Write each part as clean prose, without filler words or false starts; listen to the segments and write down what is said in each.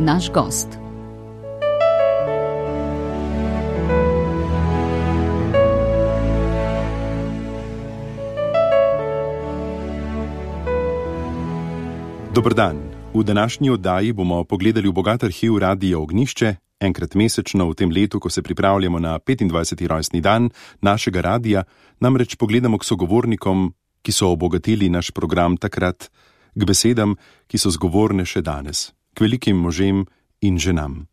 naš gost. Dober dan. V današnji oddaji bomo pogledali v bogat arhiv Radia Ognjišče, enkrat mesečno v tem letu, ko se pripravljamo na 25. rojstni dan našega radia, namreč pogledamo k sogovornikom, ki so obogatili naš program takrat, k besedam, ki so zgovorne še danes, k velikim možem in ženam.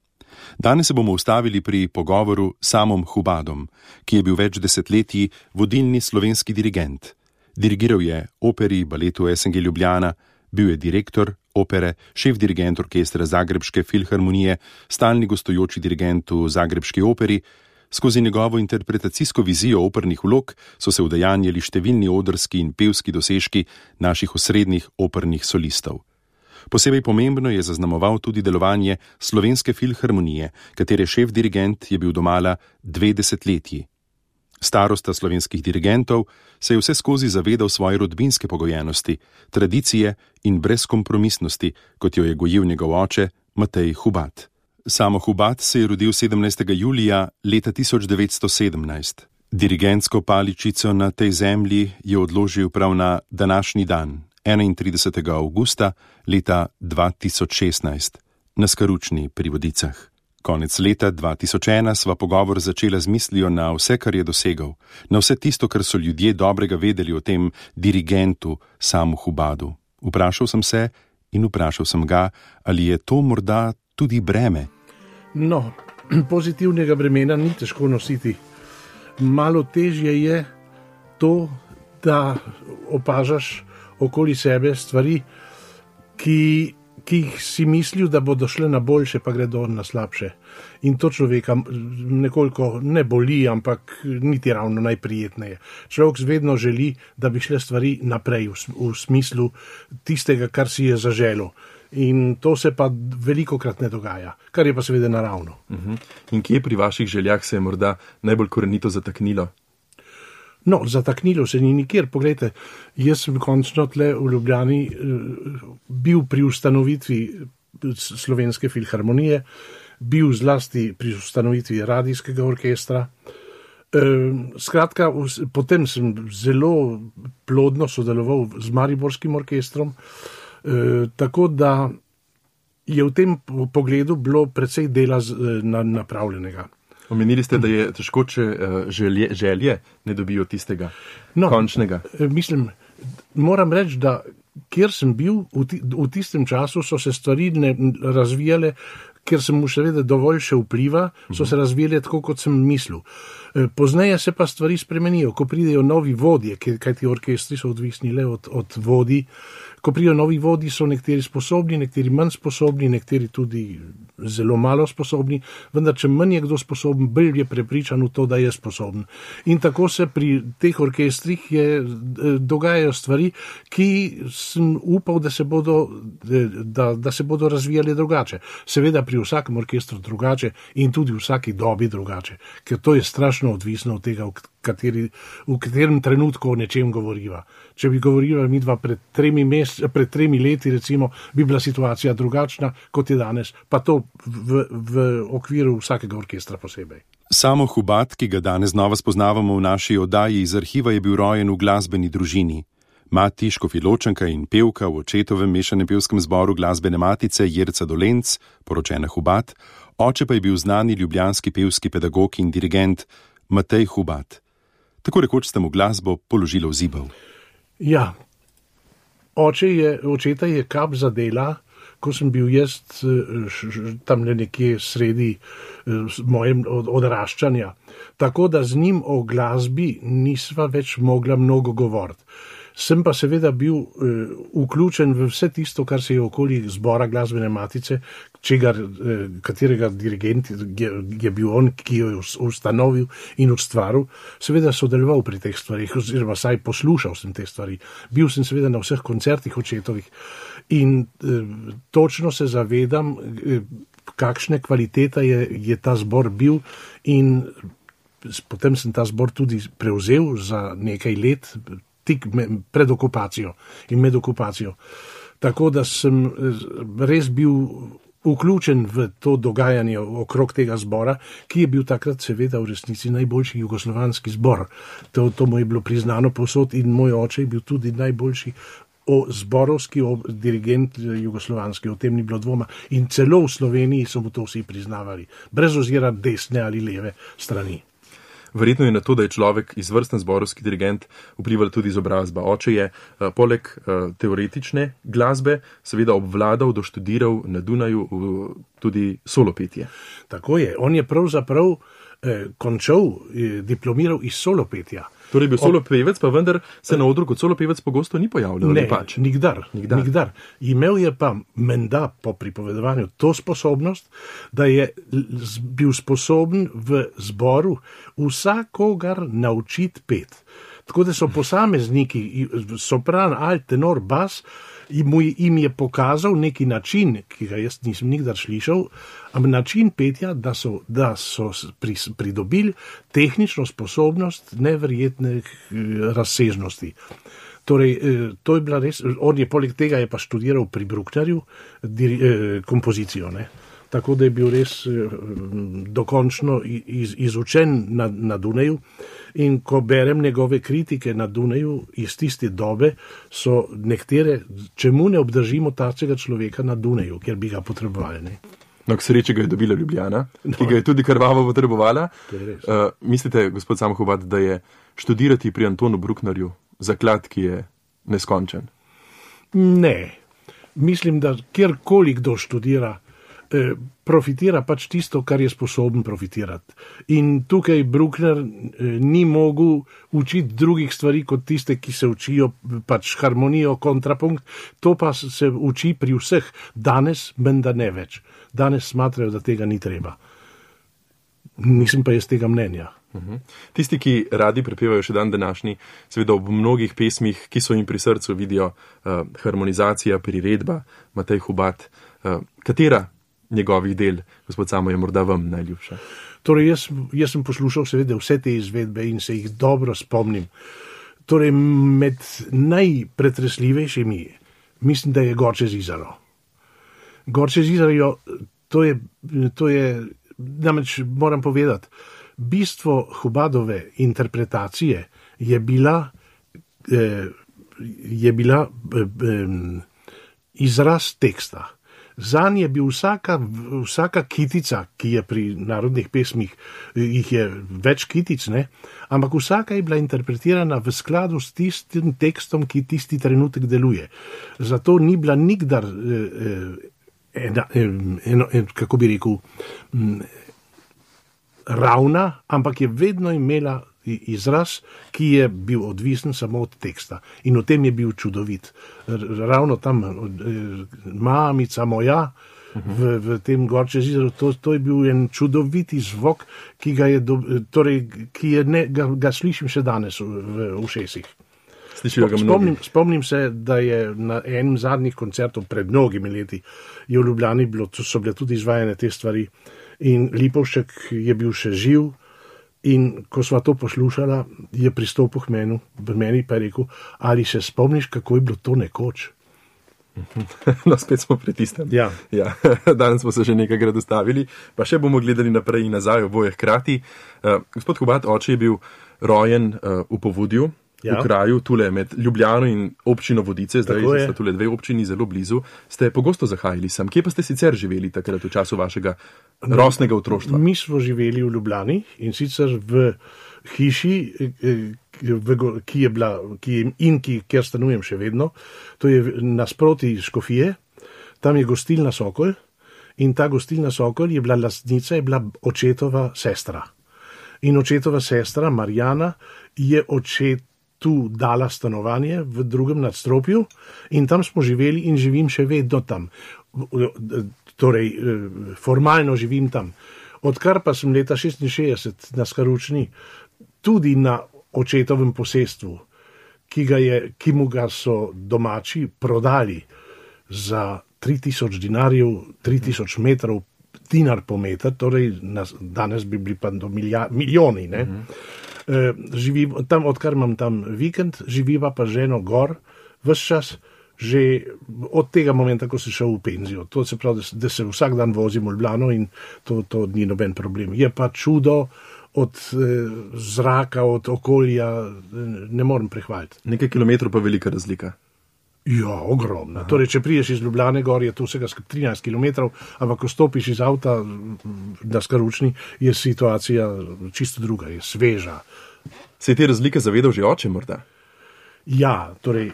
Danes se bomo ustavili pri pogovoru s Samom Hubadom, ki je bil več desetletij vodilni slovenski dirigent. Dirigiral je operi, baletu SNG Ljubljana, bil je direktor opere, šef dirigent orkestra Zagrebške filharmonije, stalni gostujoči dirigent v Zagrebški operi. Skozi njegovo interpretacijsko vizijo opernih vlog so se udejanjali številni odrski in pevski dosežki naših osrednjih opernih solistov. Posebej pomembno je zaznamoval tudi delovanje Slovenske filharmonije, katere šef dirigent je bil domala 2 desetletji. Starosta slovenskih dirigentov se je vse skozi zavedal svoje rodbinske pogojenosti, tradicije in brezkompromisnosti, kot jo je gojil njegov oče Matej Hubad. Samo Hubad se je rodil 17. julija leta 1917. Dirigentsko paličico na tej zemlji je odložil prav na današnji dan, 31. avgusta leta 2016, na Skaručni pri Vodicah. Konec leta 2001 sva pogovor začela z mislijo na vse, kar je dosegal, na vse tisto, kar so ljudje dobrega vedeli o tem dirigentu Samu Hubadu. Vprašal sem se in vprašal sem ga, ali je to morda tudi breme. No, pozitivnega bremena ni težko nositi. Malo težje je to, da opažaš okoli sebe stvari, ki jih si mislil, da bodo šle na boljše, pa gredo na slabše. In to človeka nekoliko ne boli, ampak niti ravno najprijetneje. Človek vedno želi, da bi šle stvari naprej v smislu tistega, kar si je zaželel. In to se pa velikokrat ne dogaja, kar je pa seveda naravno. In kje pri vaših željah se je morda najbolj korenito zataknilo? No, zataknilo se ni nikjer. Poglejte, jaz sem končno tle v Ljubljani bil pri ustanovitvi Slovenske filharmonije, bil zlasti pri ustanovitvi radijskega orkestra. Skratka, potem sem zelo plodno sodeloval z Mariborskim orkestrom, tako da je v tem pogledu bilo precej dela napravljenega. Omenili ste, da je težko, če želje ne dobijo tistega končnega. Mislim, moram reči, da kjer sem bil, v tistem času so se stvari razvijale, ker sem mu seveda dovolj še vpliva, so se razvijale tako, kot sem mislil. Pozneje se pa stvari spremenijo, ko pridejo novi vodje, kajti orkestri so odvisni le od vodij. Ko pridejo novi vodji, so nekateri sposobni, nekateri manj sposobni, nekateri tudi zelo malo sposobni, vendar če manj je kdo sposoben, bolj je prepričan v to, da je sposoben. In tako se pri teh orkestrih dogajajo stvari, ki sem upal, da se bodo razvijali drugače. Seveda pri vsakem orkestru drugače in tudi v vsaki dobi drugače, ker to je strašno odvisno od tega, v katerem trenutku o nečem govoriva. Če bi govorila midva pred 3 leti, recimo, bi bila situacija drugačna, kot je danes, pa to v okviru vsakega orkestra posebej. Samo Hubad, ki ga danes znova spoznavamo v naši oddaji iz arhiva, je bil rojen v glasbeni družini. Mati, škofjeločanka in pevka v očetovem mešanem pevskem zboru Glasbene matice Jerca Dolenc, poročena Hubad, oče pa je bil znani ljubljanski pevski pedagog in dirigent Matej Hubad. Tako rekoč ste mu glasbo položili v zibel. Ja, očeta je kap zadela, ko sem bil jaz tam nekje sredi mojem odraščanja. Tako da z njim o glasbi nisva več mogla mnogo govoriti. Sem pa seveda bil vključen v vse tisto, kar se je okoli zbora Glasbene matice, katerega dirigent je bil on, ki jo je ustanovil in ustvaril, seveda sodeloval pri teh stvarih, oziroma saj poslušal sem te stvari. Bil sem seveda na vseh koncertih očetovih in točno se zavedam, kakšne kvalitete je ta zbor bil, in potem sem ta zbor tudi prevzel za nekaj let, tik pred okupacijo in med okupacijo. Tako da sem res bil vključen v to dogajanje okrog tega zbora, ki je bil takrat seveda v resnici najboljši jugoslovanski zbor. To mu je bilo priznano povsod in moj oče je bil tudi najboljši zborovski dirigent jugoslovanski, o tem ni bilo dvoma. In celo v Sloveniji so mu to vsi priznavali, brez ozira desne ali leve strani. Verjetno je na to, da je človek izvrsten zborovski dirigent, vplivala tudi izobrazba. Oče je poleg teoretične glasbe seveda obvladal, doštudiral na Dunaju tudi solopetje. Tako je. On je pravzaprav končal, diplomiral iz solopetja. Torej bil solopevec, pa vendar se na odru kot solopevec pogosto ni pojavljal. Ne, nikdar. Imel je pa menda po pripovedovanju to sposobnost, da je bil sposoben v zboru vsakogar naučiti pet. Tako da so posamezniki, sopran, alt, tenor, bas, jim je pokazal neki način, ki ga jaz nisem nikdar slišal, način petja, da so pridobili tehnično sposobnost neverjetne razsežnosti. Torej, to je bila res, on je poleg tega je pa študiral pri Brucknerju kompozicijo, ne? Tako da je bil res dokončno izučen na Dunaju. In ko berem njegove kritike na Dunaju iz tiste dobe, so nekatere, čemu ne obdržimo takega človeka na Dunaju, kjer bi ga potrebovali. Ne? No, k sreči ga je dobila Ljubljana, ki ga je tudi krvavo potrebovala. Mislite, gospod Samohobad, da je študirati pri Antonu Brucknerju zaklad, ki je neskončen? Ne. Mislim, da kjerkoli kdo študira, profitira pač tisto, kar je sposoben profitirati. In tukaj Bruckner ni mogel učiti drugih stvari kot tiste, ki se učijo pač harmonijo, kontrapunkt. To pa se uči pri vseh. Danes menda ne več. Danes smatrajo, da tega ni treba. Nisem pa jaz tega mnenja. Tisti, ki radi prepevajo še dan današnji, seveda ob mnogih pesmih, ki so jim pri srcu, vidijo harmonizacija, priredba, Matej Hubad. Katera njegovih del, gospod Samo, je morda vam najljubša? Torej, jaz sem poslušal seveda vse te izvedbe in se jih dobro spomnim. Torej, med najpretresljivejšimi mislim, da je Gorče Zizaro. Gorče Zizaro, to je, namreč moram povedati, bistvo Hubadove interpretacije je bila izraz teksta. Zanj je bil vsaka kitica, ki je pri narodnih pesmih, jih je več kitic, ne? Ampak vsaka je bila interpretirana v skladu s tistim tekstom, ki tisti trenutek deluje. Zato ni bila nikdar, kako bi rekel, ravna, ampak je vedno imela izraz, ki je bil odvisen samo od teksta. In v tem je bil čudovit. Ravno tam mamica moja v tem Gorče Zizaru, to je bil en čudoviti zvok, ki ga slišim še danes v ušesih. Spomnim se, da je na enem zadnjih koncertov pred mnogimi leti je v Ljubljani so bile tudi izvajane te stvari in Lipovšek je bil še živ. In ko sva to poslušala, je pristopil k meni pa je rekel, ali se spomniš, kako je bilo to nekoč? No, spet smo pri tistem. Ja. Danes smo se že nekajkrat dostavili, pa še bomo gledali naprej in nazaj, oboje hkrati. Gospod Hubad, oče je bil rojen v Povodju, v kraju, tule med Ljubljano in občino Vodice, zdaj sta tule dve občini zelo blizu. Ste pogosto zahajali sem. Kje pa ste sicer živeli takrat v času vašega rosnega otroštva? Mi smo živeli v Ljubljani in sicer v hiši, kjer stanujem še vedno. To je nasproti Škofije, tam je gostilna Sokol in ta gostilna Sokol je bila lastnica, je bila očetova sestra. In očetova sestra Marjana je tu dala stanovanje v drugem nadstropju in tam smo živeli in živim še vedno tam. Torej, formalno živim tam. Odkar pa sem leta 1966 na Skaručni, tudi na očetovem posestvu, ki mu ga so domači prodali za 3000 dinarjev, 3000 metrov, dinar po meter, torej danes bi bili pa do milijoni, ne? Živim tam, odkar imam tam vikend, živiva pa ženo gor, ves čas že od tega momenta, ko sem šel v penzijo. To se pravi, da se vsak dan vozim v Ljubljano in to ni noben problem. Je pa čudo od zraka, od okolja, ne morem prehvaliti. Nekaj kilometrov pa velika razlika. Ja, ogromna. Torej, če priješ iz Ljubljane gor, je to vsega 13 km, ampak ko stopiš iz avta na Skaručni, je situacija čisto druga, je sveža. Se je te razlike zavedal že oče morda? Ja, torej,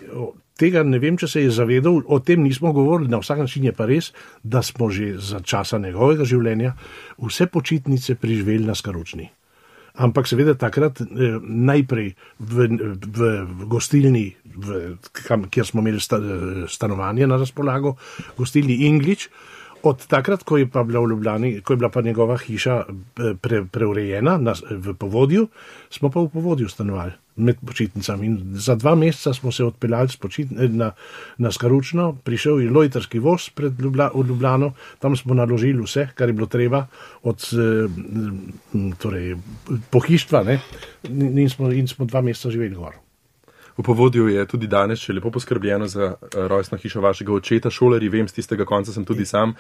tega ne vem, če se je zavedal, o tem nismo govorili, na vsak način je pa res, da smo že za časa njegovega življenja vse počitnice preživeli na Skaručni. Ampak seveda takrat najprej v gostilni, kjer smo imeli stanovanje na razpolago, gostilni Inglič. Od takrat, ko je pa bila v Ljubljani, ko je bila pa njegova hiša preurejena v Povodju, smo pa v Povodju stanovali med počitnicami. In za 2 meseca smo se odpeljali na Skaručno, prišel je lojtarski voz v Ljubljano, tam smo naložili vse, kar je bilo treba, od pohištva, in smo 2 meseca živeli gor. V Povodju je tudi danes še lepo poskrbljeno za rojstno hišo vašega očeta, šolarji, vem, z tistega konca sem tudi sam.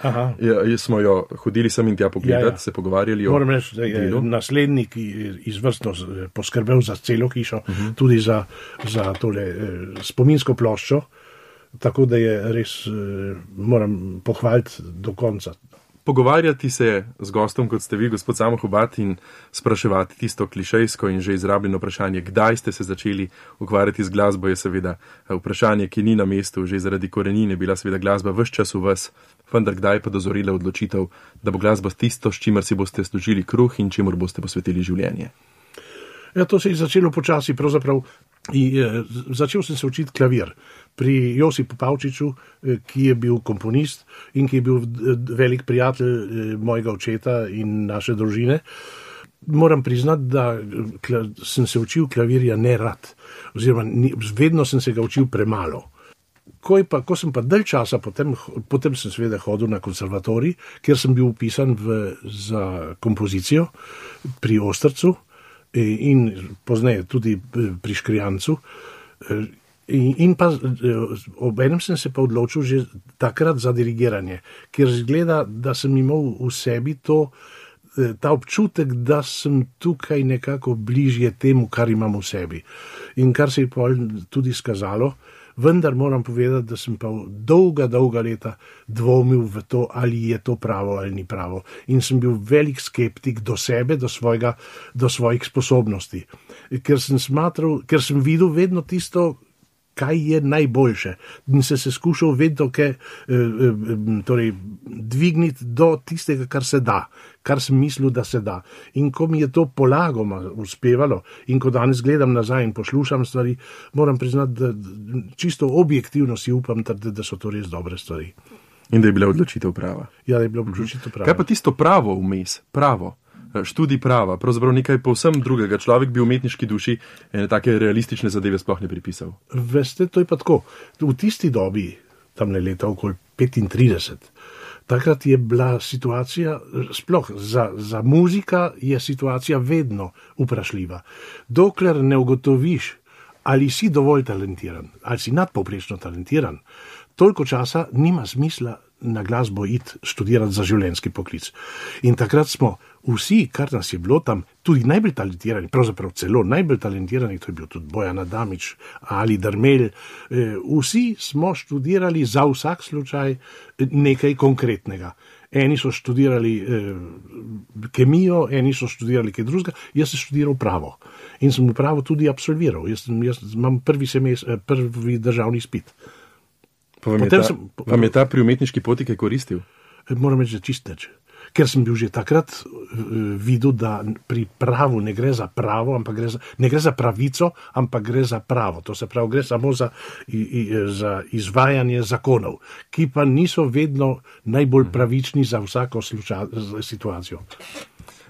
Smo jo hodili sem in tja pogledati, se pogovarjali o delu. Moram reči, da je naslednik izvrstno poskrbel za celo hišo, tudi za tole spominsko ploščo, tako da je res, moram pohvaliti do konca. Pogovarjati se z gostom, kot ste vi, gospod Samo Hubad, in spraševati tisto klišejsko in že izrabljeno vprašanje, kdaj ste se začeli ukvarjati z glasbo, je seveda vprašanje, ki ni na mestu, že zaradi korenine bila seveda glasba ves čas v vas, vendar kdaj pa dozorila odločitev, da bo glasba tisto, s čimer si boste služili kruh in čemur boste posvetili življenje? Ja, to se je začelo počasi, pravzaprav. Začel sem se učiti klavir pri Josipu Pavčiču, ki je bil komponist in ki je bil velik prijatelj mojega očeta in naše družine. Moram priznati, da sem se učil klavirja nerad, oziroma vedno sem se ga učil premalo. Ko sem pa dalj časa, potem sem seveda hodil na konservatorij, kjer sem bil vpisan za kompozicijo pri Ostrcu, in pozneje tudi pri Škrijancu. In pa obenem sem se pa odločil že takrat za dirigiranje, ker zgleda, da sem imel v sebi ta občutek, da sem tukaj nekako bližje temu, kar imam v sebi. In kar se je tudi skazalo, vendar moram povedati, da sem pa dolga leta dvomil v to, ali je to pravo ali ni pravo. In sem bil velik skeptik do sebe, do svojih sposobnosti. Ker sem videl vedno tisto, kaj je najboljše. In se skušal vedno dvigniti do tistega, kar se da, kar sem mislil, da se da. In ko mi je to polagoma uspevalo in ko danes gledam nazaj in poslušam stvari, moram priznati, da čisto objektivno si upam, da so to res dobre stvari. In da je bila odločitev prava. Ja, da je bila odločitev prava. Kaj pa tisto pravo vmes, pravo? Študij prava, pravzaprav nekaj povsem drugega. Človek bi v umetniški duši take realistične zadeve sploh ne pripisal. Veste, to je pa tako. V tisti dobi, tam leta okoli 35, takrat je bila situacija, sploh za muzika je situacija vedno vprašljiva. Dokler ne ugotoviš, ali si dovolj talentiran, ali si nadpovprečno talentiran, toliko časa nima smisla na glasbo iti študirati za življenjski poklic. In takrat smo vsi, kar nas je bilo tam, tudi najbolj talentirani, pravzaprav celo najbolj talentirani, to je bil tudi Bojan Adamič ali Darmelj, vsi smo študirali za vsak slučaj nekaj konkretnega. Eni so študirali kemijo, eni so študirali kaj drugega, jaz sem študiral pravo. In sem v pravo tudi absolviral. Jaz imam prvi državni izpit. Vam je ta pri umetniški poti kaj koristil? Moram reči, da čist nič. Ker sem bil že takrat videl, da pri pravu ne gre za pravo, ne gre za pravico, ampak gre za pravo. To se pravi, gre samo za izvajanje zakonov, ki pa niso vedno najbolj pravični za vsako situacijo.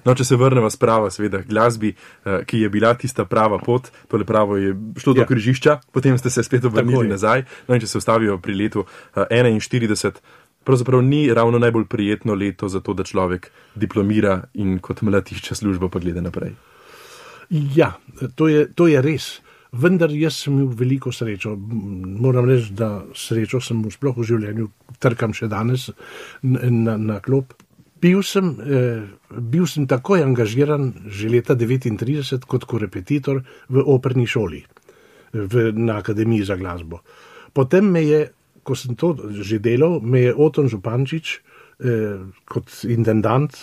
No, če se vrnemo s prava, seveda, glasbi, ki je bila tista prava pot, tole pravo je šlo do križišča, potem ste se spet obrnili nazaj, no in če se ustavijo pri letu 41, pravzaprav ni ravno najbolj prijetno leto za to, da človek diplomira in kot mladišča službo pa gleda naprej. Ja, to je res. vendar jaz sem imel veliko srečo. Moram reči, da srečo sem sploh v življenju, trkam še danes na klop. Bil sem takoj angažiran že leta 1939 kot korepetitor v operni šoli, na Akademiji za glasbo. Potem me je, ko sem to že delal, me je Oton Župančič kot intendant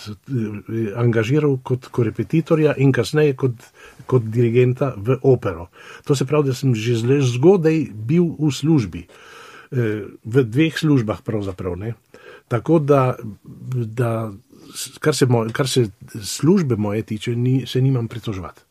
angažiral kot korepetitorja in kasneje kot dirigenta v opero. To se pravi, da sem že zgodaj bil v službi, v 2 službah pravzaprav, ne. Tako da kar se službe moje tiče, se nimam pritoževati.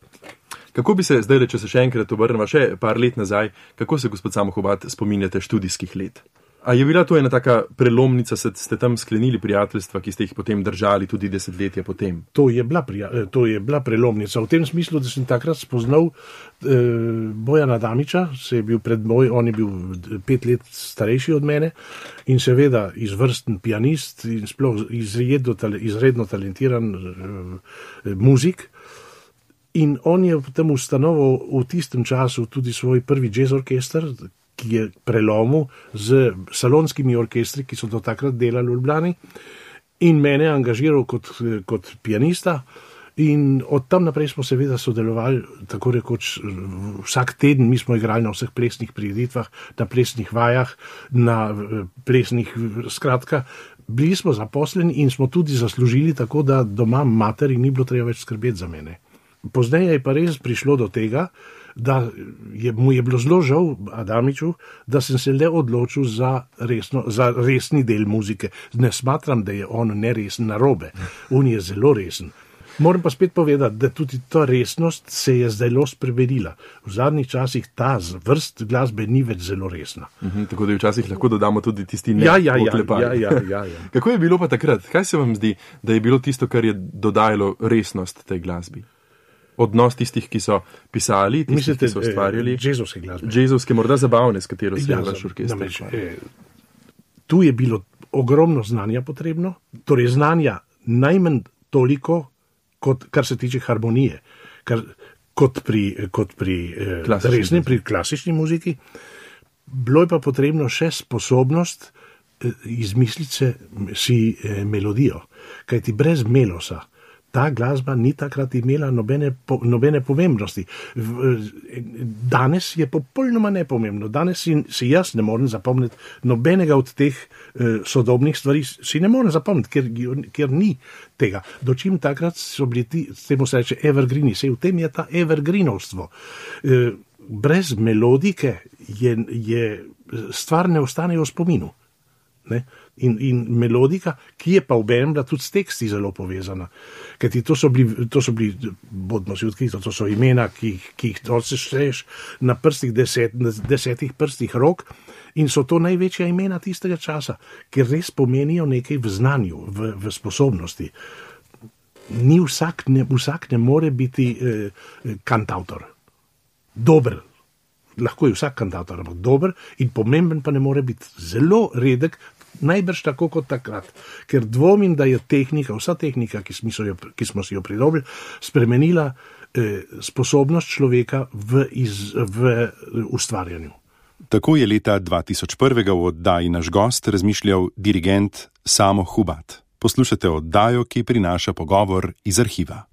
Kako bi se zdaj, če se še enkrat obrnemo še par let nazaj, kako se, gospod Samo Hubad, spominjate študijskih let? A je bila to ena taka prelomnica, ste tam sklenili prijateljstva, ki ste jih potem držali tudi desetletja potem? To je bila prelomnica v tem smislu, da sem takrat spoznal Bojana Damiča, se je bil pred moj, on je bil 5 let starejši od mene in seveda izvrsten pianist in sploh izredno talentiran muzik. In on je potem ustanovil v tistem času tudi svoj prvi jazz orkester, ki je prelomil z salonskimi orkestri, ki so do takrat delali v Ljubljani, in mene angažiral kot pianista. In od tam naprej smo seveda sodelovali, tako rekoč vsak teden. Mi smo igrali na vseh plesnih prireditvah, na plesnih vajah, na plesnih, skratka, bili smo zaposleni in smo tudi zaslužili, tako da doma materi ni bilo treba več skrbeti za mene. Pozneje je pa res prišlo do tega, da mu je bilo zelo žal, Adamiču, da sem se le odločil za resni del muzike. Ne smatram, da je on neresen, narobe. On je zelo resen. Moram pa spet povedati, da tudi ta resnost se je zdaj spremenila. V zadnjih časih ta vrst glasbe ni več zelo resna. Tako da včasih lahko dodamo tudi tisti Ja. Kako je bilo pa takrat? Kaj se vam zdi, da je bilo tisto, kar je dodajalo resnost tej glasbi? Odnos tistih, ki so pisali, tistih, ki so ustvarjali. Džezovske glasbe. Džezovske, morda zabavne, s katero se je vaš orkester. Tu je bilo ogromno znanja potrebno, torej znanja najmanj toliko, kar se tiče harmonije, kot pri klasični muziki. Bilo je pa potrebno še sposobnost izmisliti si melodijo, kajti brez melosa ta glasba ni takrat imela nobene pomembnosti. Danes je popolnoma nepomembno. Danes si jaz ne morem zapomniti nobenega od teh sodobnih stvari, si ne morem zapomniti, ker ni tega. Dočim takrat so bili temu se reče evergreeni, v tem je ta evergreenovstvo. Brez melodike stvar ne ostane v spominu. Ne? In melodika, ki je pa obenem bila tudi s teksti zelo povezana. Kajti to so bili, bodimo si odkriti, to so imena, ki jih sešteješ na prstih, 10 prstih rok, in so to največja imena tistega časa, ker res pomenijo nekaj v znanju, v sposobnosti. Vsak ne more biti kantavtor. Dober. Lahko je vsak kantavtor, ampak dober in pomemben pa ne more biti. Zelo redek, najbrž tako kot takrat, ker dvomim, da je vsa tehnika, ki smo si jo pridobili, spremenila sposobnost človeka v ustvarjanju. Tako je leta 2001 v oddaji Naš gost razmišljal dirigent Samo Hubad. Poslušate oddajo, ki prinaša pogovor iz arhiva.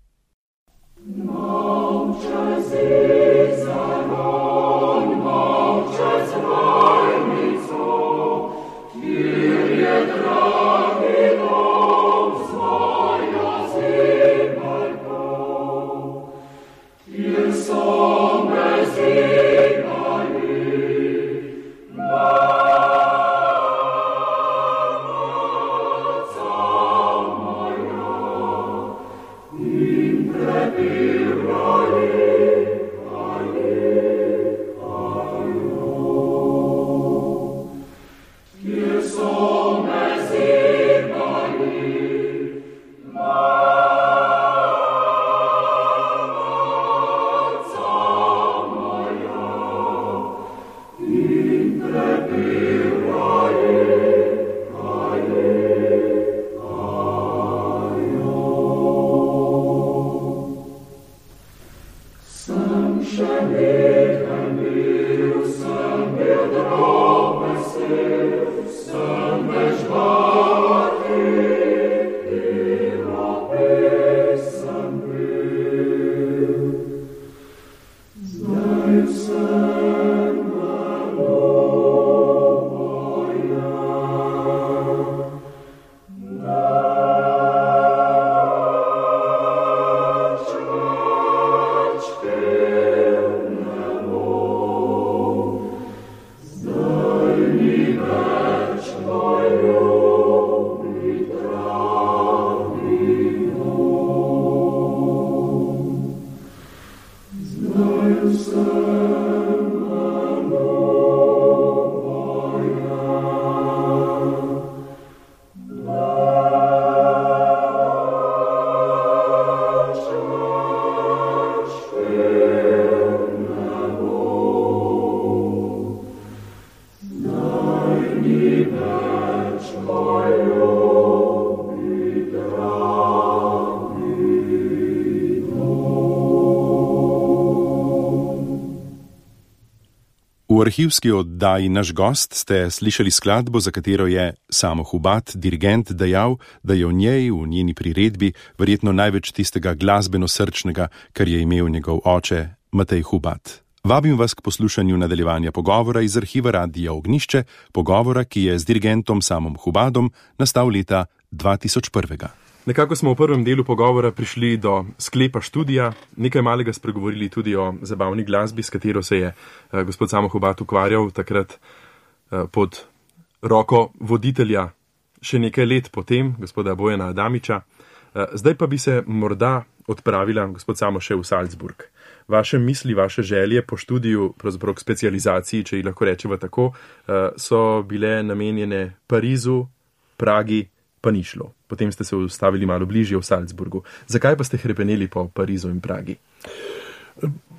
V arhivski oddaji Naš gost ste slišali skladbo, za katero je Samo Hubat, dirigent, dejal, da je v njej, v njeni priredbi, verjetno največ tistega glasbeno-srčnega, kar je imel njegov oče Matej Hubat. Vabim vas k poslušanju nadaljevanja pogovora iz arhiva Radia Ognjišče, pogovora, ki je z dirigentom Samom Hubatom nastal leta 2001. Nekako smo v prvem delu pogovora prišli do sklepa študija, nekaj malega spregovorili tudi o zabavni glasbi, s katero se je gospod Samo Hubat ukvarjal takrat pod roko voditelja še nekaj let potem, gospoda Bojana Adamiča. Zdaj pa bi se morda odpravila, gospod Samo, še v Salzburg. Vaše misli, vaše želje po študiju, pravzaprav k specializaciji, če jih lahko rečeva tako, so bile namenjene Parizu, Pragi, pa ni šlo. Potem ste se ustavili malo bližje v Salzburgu. Zakaj pa ste hrepeneli po Parizu in Pragi?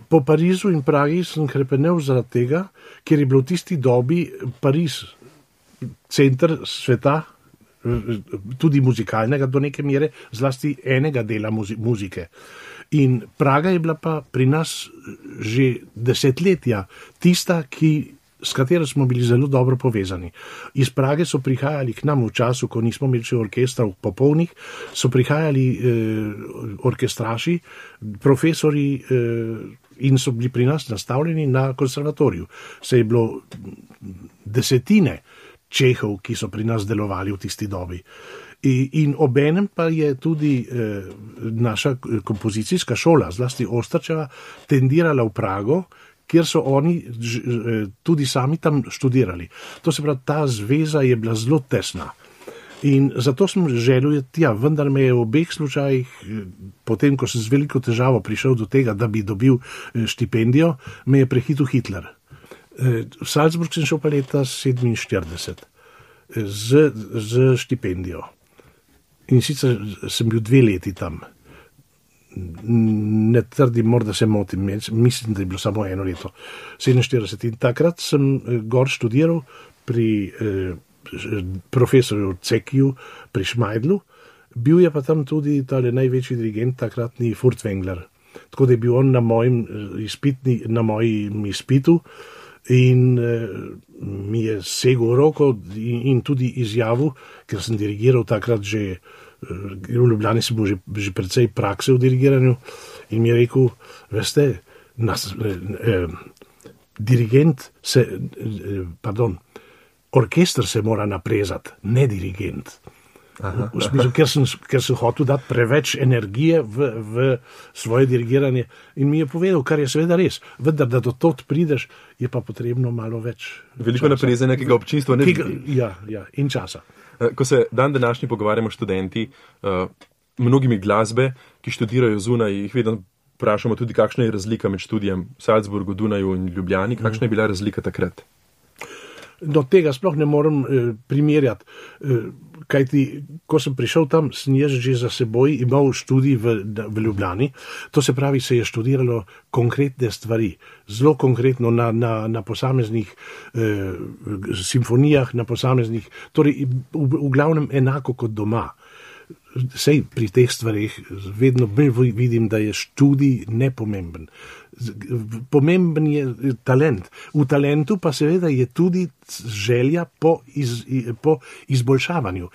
Po Parizu in Pragi sem hrepenel zaradi tega, ker je bilo v tisti dobi Pariz center sveta, tudi muzikalnega do neke mere, zlasti enega dela muzike. In Praga je bila pa pri nas že desetletja tista, s katero smo bili zelo dobro povezani. Iz Prage so prihajali k nam v času, ko nismo imeli še orkestrov popolnih, so prihajali orkestraši, profesori in so bili pri nas nastavljeni na konservatoriju. Se je bilo desetine Čehov, ki so pri nas delovali v tisti dobi. In obenem pa je tudi naša kompozicijska šola, zlasti Ostrčeva, tendirala v Prago, kjer so oni tudi sami tam študirali. To se pravi, ta zveza je bila zelo tesna. In zato sem želel tja, vendar me je v obeh slučajih, potem, ko sem z veliko težavo prišel do tega, da bi dobil štipendijo, me je prehitil Hitler. V Salzburg sem šel pa leta 1947 z štipendijo. In sicer sem bil 2 leti tam. Ne trdim, morda se motim, mislim, da je bilo samo 1 leto, 47. In takrat sem gor študiral pri profesorju Cekiju, pri Šmajdlu, bil je pa tam tudi tale največji dirigent, takratni Furtwängler. Tako da je bil on na mojem izpitu in mi je segel roko in tudi izjavil, ker sem dirigiral takrat že, v Ljubljani sem bil že precej prakse v dirigiranju, in mi je rekel, veste, orkester se mora naprezati, ne dirigent. V smislu, ker sem hotel dati preveč energije v svoje dirigiranje, in mi je povedal, kar je seveda res, vendar da do tod prideš, je pa potrebno malo več veliko naprezanja, ki ga občinstvo ne vidi. Ja, in časa. Ko se dan današnji pogovarjamo študenti, mnogimi glasbe, ki študirajo zunaj, jih vedno vprašamo tudi, kakšna je razlika med študijem v Salzburgu, Dunaju in Ljubljani, kakšna je bila razlika takrat? Do tega sploh ne morem primerjati, kajti ko sem prišel tam, sem jaz že za seboj imel študij v Ljubljani, to se pravi, se je študiralo konkretne stvari, zelo konkretno na posameznih simfonijah, na posameznih, torej v glavnem enako kot doma. Sej pri teh stvarih vedno vidim, da je študij nepomemben. Pomemben je talent. V talentu pa seveda je tudi želja po izboljšavanju.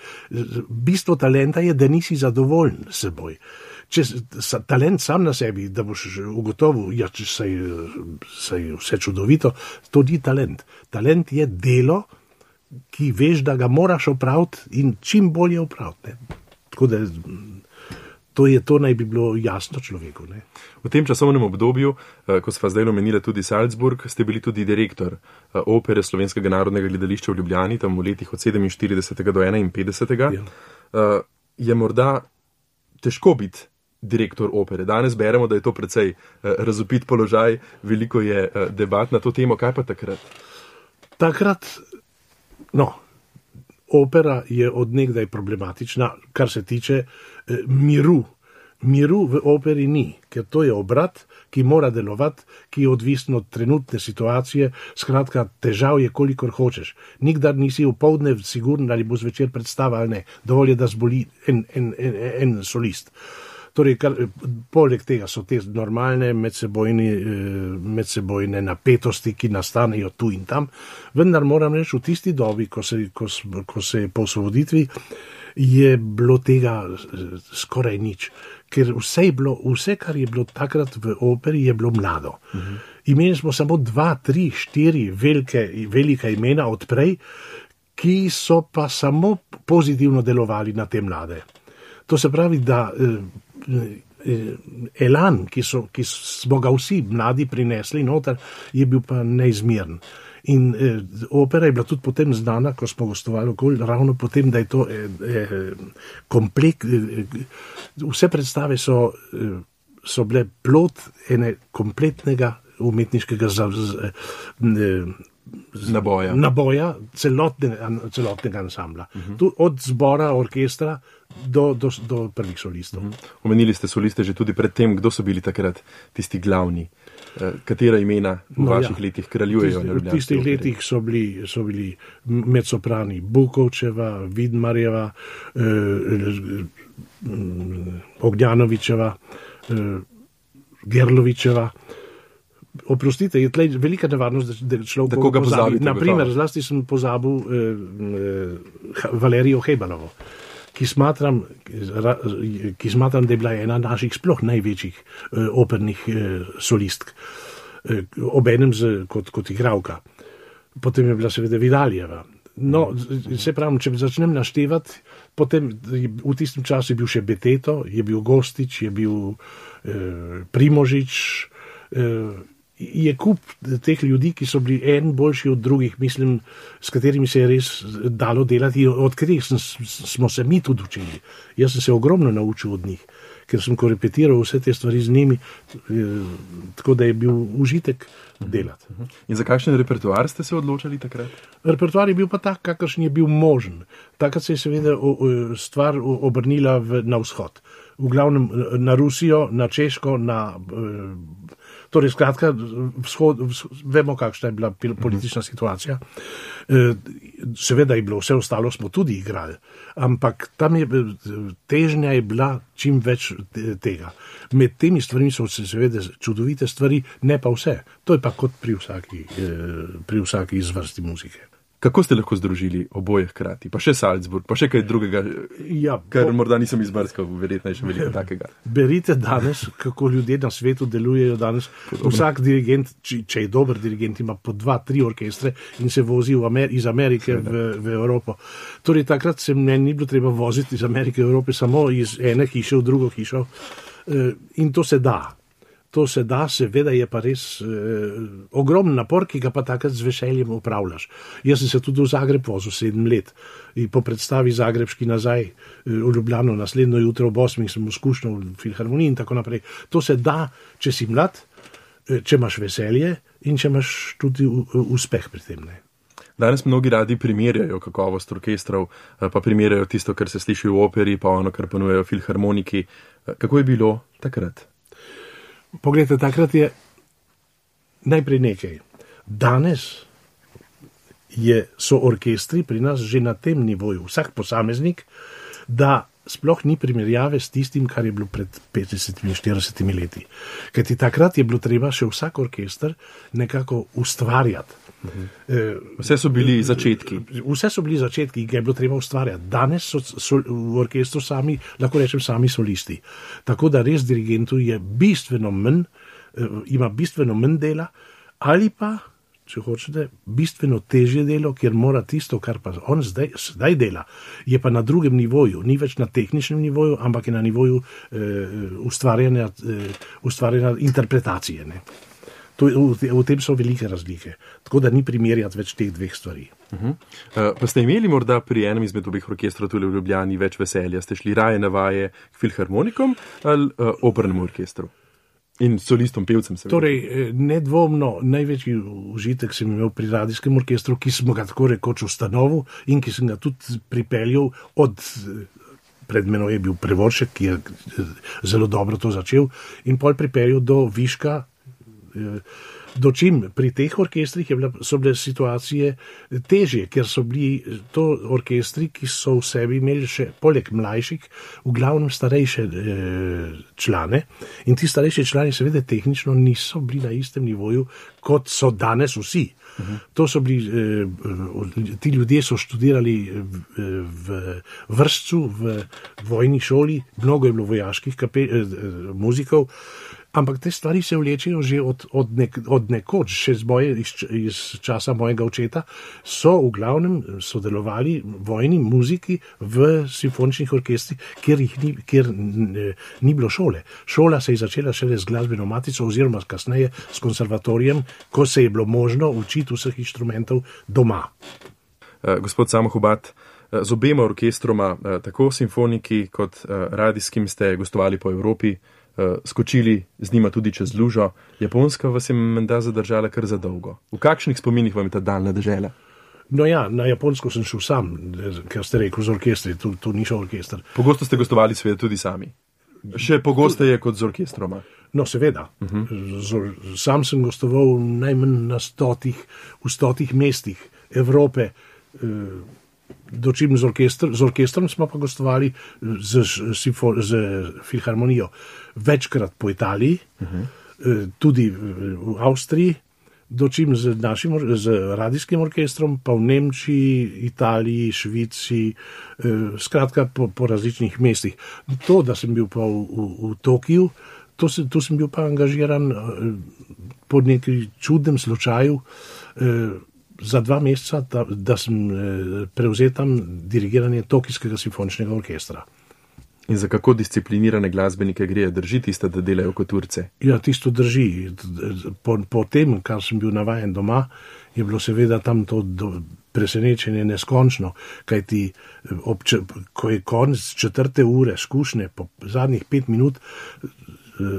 Bistvo talenta je, da nisi zadovoljen s seboj. Če talent sam na sebi, da boš ugotovil, ja, če se je vse čudovito, to ni talent. Talent je delo, ki veš, da ga moraš opraviti in čim bolje opraviti. Tako da to naj bi bilo jasno človeku. Ne? V tem časovnem obdobju, ko sva zdaj omenila tudi Salzburg, ste bili tudi direktor opere Slovenskega narodnega gledališča v Ljubljani, tam v letih od 47. do 51. Ja. Je morda težko biti direktor opere. Danes beremo, da je to precej razvpit položaj, veliko je debat na to temo. Kaj pa takrat? Takrat, opera je odnegdaj problematična, kar se tiče miru. Miru v operi ni, ker to je obrat, ki mora delovati, ki je odvisen od trenutne situacije, skratka, težav je, kolikor hočeš. Nikdar nisi v poldne siguren, ali bo zvečer predstava ali ne. Dovolj je, da zboli en solist. Torej, poleg tega so te normalne medsebojne napetosti, ki nastanejo tu in tam, vendar moram reči, v tisti dobi, ko se je po osvoboditvi, je bilo tega skoraj nič. Ker vse, kar je bilo takrat v operi, je bilo mlado. Imeli smo samo 2, 3, 4 velika imena odprej, ki so pa samo pozitivno delovali na te mlade. To se pravi, da elan, ki smo ga vsi mladi prinesli noter, je bil pa neizmeren. In opera je bila tudi potem znana, ko smo gostovali okoli, ravno potem, da je to vse predstave so bile plod ene kompletnega umetniškega naboja celotnega ansambla. Od zbora, orkestra do prvih solistov. Omenili ste soliste že tudi pred tem, kdo so bili takrat tisti glavni? Katera imena v vaših letih kraljujejo? V tistih letih so bili mezzoprani Bukovčeva, Vidmarjeva, Ognjanovičeva, Gerlovičeva. Oprostite, je tlej velika nevarnost, da človek koga pozabi. Naprimer, zlasti sem pozabil Valerijo Hebalovo, ki smatram, da je bila ena naših sploh največjih opernih solistk, obenem kot igralka. Potem je bila seveda Vidaljeva. Se pravim, če začnem naštevati, potem v tistem času je bil še Beteto, je bil Gostič, je bil Primožič, je kup teh ljudi, ki so bili en boljši od drugih, mislim, s katerimi se je res dalo delati, od katerih smo se mi tudi učili. Jaz sem se ogromno naučil od njih, ker sem korepetiral vse te stvari z njimi, tako da je bil užitek delati. In za kakšen repertoar ste se odločali takrat? Repertoar je bil pa tak, kakršen je bil možen. Takrat se je seveda stvar obrnila na vzhod. V glavnem na Rusijo, na Češko, torej skratka, vemo, kakšna je bila politična situacija. Seveda je bilo vse ostalo, smo tudi igrali, ampak tam težnja je bila čim več tega. Med temi stvarmi so se seveda čudovite stvari, ne pa vse. To je pa kot pri vsaki izvrsti muzike. Kako ste lahko združili oboje hkrati? Pa še Salzburg, pa še kaj drugega, kar morda nisem izbrskal, verjetno je še veliko takega. Berite danes, kako ljudje na svetu delujejo danes. Vsak dirigent, če je dober dirigent, ima po 2, 3 orkestre in se vozi iz Amerike v Evropo. Torej takrat se meni ni bilo treba voziti iz Amerike v Evrope, samo iz ene hiše v drugo hišo. In to se da. To se da, seveda je pa res ogromen napor, ki ga pa takrat z veseljem upravljaš. Jaz sem se tudi v Zagreb vozil 7 let in po predstavi zagrebški nazaj v Ljubljano, naslednjo jutro ob 8 sem izkušnil v filharmoniji in tako naprej. To se da, če si mlad, če imaš veselje in če imaš tudi uspeh pri tem. Ne? Danes mnogi radi primerjajo kakovost orkestrov, pa primerjajo tisto, kar se sliši v operi, pa ono, kar ponujejo filharmoniki. Kako je bilo takrat? Poglejte, takrat je najprej nekaj. Danes so orkestri pri nas že na tem nivoju, vsak posameznik, da sploh ni primerjave s tistim, kar je bilo pred 50-40 leti. Kajti takrat je bilo treba še vsak orkester nekako ustvarjati. Vse so bili začetki. Vse so bili začetki, ki je bilo treba ustvarjati. Danes so v orkestru sami, lahko rečem, sami solisti. Tako da res dirigentu je ima bistveno manj dela, ali pa, če hočete, bistveno težje delo, ker mora tisto, kar pa on zdaj dela, je pa na drugem nivoju, ni več na tehničnem nivoju, ampak je na nivoju ustvarjanja interpretacije. Ne? V tem so velike razlike. Tako da ni primerjati več teh dveh stvari. Pa ste imeli morda pri enem izmed obeh orkestrov tule v Ljubljani več veselja? Ste šli raje na vaje k filharmonikom ali opernemu orkestru? In solistom, pevcem seveda. Torej, nedvomno največji užitek sem imel pri radijskem orkestru, ki smo ga tako rekoč ustanovil in ki sem ga tudi pripeljal pred menoj je bil Prevoršek, ki je zelo dobro to začel, in pol pripeljal do viška. Dočim pri teh orkestrih so bile situacije težje, ker so bili to orkestri, ki so v sebi imeli še poleg mlajših, v glavnem starejše člane, in ti starejši člani seveda tehnično niso bili na istem nivoju, kot so danes vsi. To so bili, ti ljudje so študirali v vršcu, v vojni šoli, mnogo je bilo vojaških muzikov, ampak te stvari se vlečejo že od nekoč, še iz časa mojega očeta, so v glavnem sodelovali vojni muziki v simfoničnih orkestrih, kjer ni bilo šole. Šola se je začela šele z glasbeno matico oziroma kasneje s konservatorijem, ko se je bilo možno učiti vseh inštrumentov doma. Gospod Samo Hubad, z obema orkestroma, tako simfoniki kot radijskim, ste gostovali po Evropi, skočili z njima tudi čez lužo. Japonska vas je menda zadržala kar za dolgo. V kakšnih spominih vam je ta daljna dežela? No ja, na Japonsko sem šel sam, ker ste rekel z orkestri, to ni šel orkester. Pogosto ste gostovali seveda tudi sami. Še pogosteje kot z orkestroma. No, seveda. Sam sem gostoval najmanj v 100 mestih Evrope, dočim z orkestrom smo pa gostovali z filharmonijo večkrat po Italiji, tudi v Avstriji, dočim z radijskim orkestrom, pa v Nemčiji, Italiji, Švici, skratka po različnih mestih. To, da sem bil pa v Tokiju, tu sem bil pa angažiran po nekem čudnem slučaju, za 2 meseca, da sem prevzel tam dirigiranje Tokijskega simfoničnega orkestra. In za kako disciplinirane glasbenike gre? Drži tisto, da delajo kot Turce? Ja, tisto drži. Po tem, kar sem bil navajen doma, je bilo seveda tam to presenečenje neskončno, kajti ko je konec 4. ure skušnje, po zadnjih 5 minut,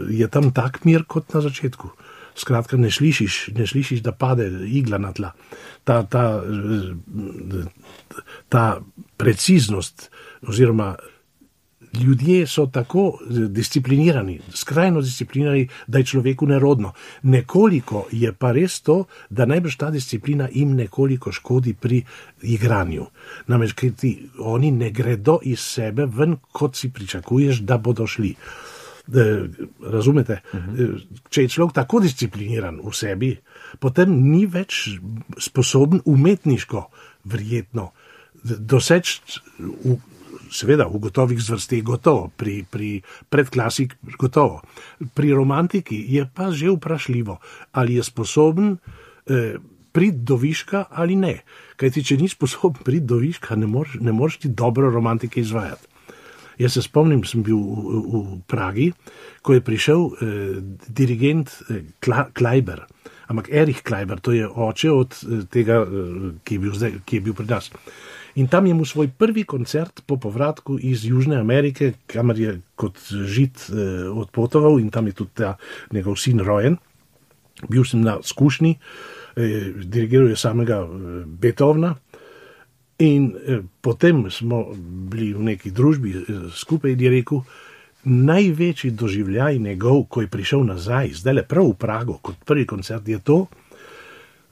je tam tak mir kot na začetku. Skratka, ne slišiš, da pade igla na tla. Ta preciznost, oziroma ljudje so tako disciplinirani, skrajno disciplinirani, da je človeku nerodno. Nekoliko je pa res to, da najbrž ta disciplina jim nekoliko škodi pri igranju. Namreč, oni ne gredo iz sebe ven, kot si pričakuješ, da bodo šli. Razumete? Če je človek tako discipliniran v sebi, potem ni več sposoben umetniško verjetno doseči, seveda v gotovih zvrsteh gotovo, pri predklasik gotovo. Pri romantiki je pa že vprašljivo, ali je sposoben priti do viška ali ne. Kajti, če ni sposoben priti do viška, ne moreš ti dobro romantike izvajati. Jaz se spomnim, sem bil v Pragi, ko je prišel dirigent Kleiber, ampak Erich Kleiber, to je oče od tega, ki je bil pri nas. In tam je mu svoj prvi koncert po povratku iz Južne Amerike, kamor je kot Žid odpotoval, in tam je tudi ta njegov sin rojen. Bil sem na skušnji, dirigiral je samega Beethovna. In potem smo bili v neki družbi skupaj, je rekel, največji doživljaj njegov, ko je prišel nazaj, zdaj le prav v Prago, kot prvi koncert, je to,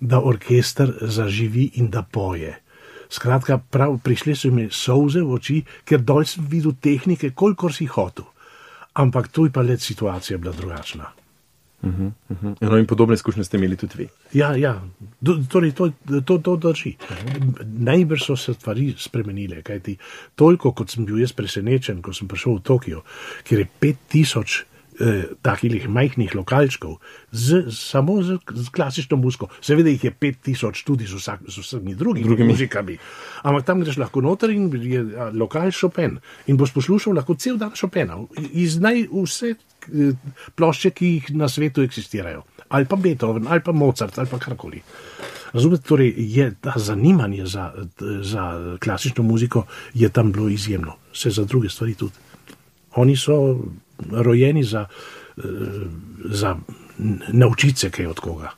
da orkester zaživi in da poje. Skratka, prišli so mi solze v oči, ker dol sem videl tehnike, kolikor si hotel. Ampak tu je pa let situacija bila drugačna. No, in podobne izkušnje ste imeli tudi vi. Ja, torej to drži. Najbrž so se stvari spremenile, kajti toliko, kot sem bil jaz presenečen, ko sem prišel v Tokio, kjer je 5000 takih majhnih lokalčkov, samo z klasično muziko. Seveda jih je 5000 tudi z vsemi drugimi muzikami. Ampak tam greš lahko noter in je lokal Chopin. In boš poslušal lahko cel dan Chopina. Iz vse plošče, ki jih na svetu eksistirajo. ali pa Beethoven, ali pa Mozart, ali pa karkoli. Razumete, torej je ta zanimanje za klasično muziko je tam bilo izjemno, vse za druge stvari tudi. Oni so rojeni za naučiti se kaj od koga.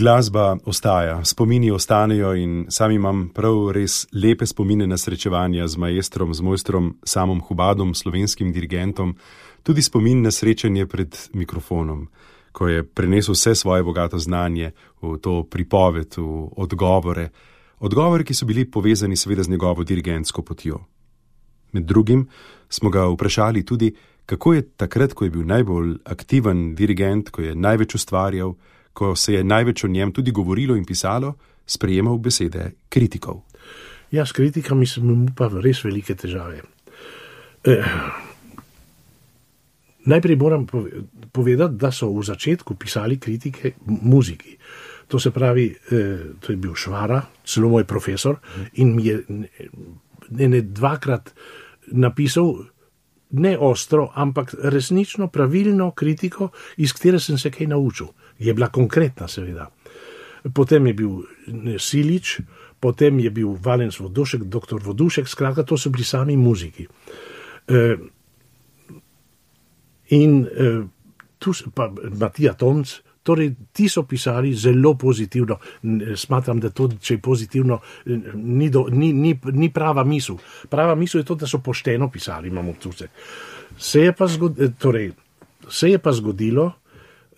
Glasba ostaja, spomini ostanejo in sam imam prav res lepe spomine na srečevanja z maestrom, z mojstrom Samom Hubadom, slovenskim dirigentom, tudi spomin na srečanje pred mikrofonom, ko je prenesel vse svoje bogato znanje v to pripoved, v odgovore, ki so bili povezani seveda z njegovo dirigentsko potjo. Med drugim smo ga vprašali tudi, kako je takrat, ko je bil najbolj aktiven dirigent, ko je največ ustvarjal, ko se je največ o njem tudi govorilo in pisalo, sprejemal besede kritikov. Ja, s kritikami sem imel pa res velike težave. Najprej moram povedati, da so v začetku pisali kritike muziki. To se pravi, to je bil Švara, celo moj profesor, in mi je dvakrat napisal ne ostro, ampak resnično pravilno kritiko, iz katere sem se kaj naučil. Je bila konkretna, seveda. Potem je bil Silič, potem je bil Valens Vodušek, doktor Vodušek, skratka, to so bili sami muziki. Tu pa Matija Tomc, torej ti so pisali zelo pozitivno. Smatram, da to, če je pozitivno, ni prava misel. Prava misel je to, da so pošteno pisali, imam občutek. Se je pa zgodilo,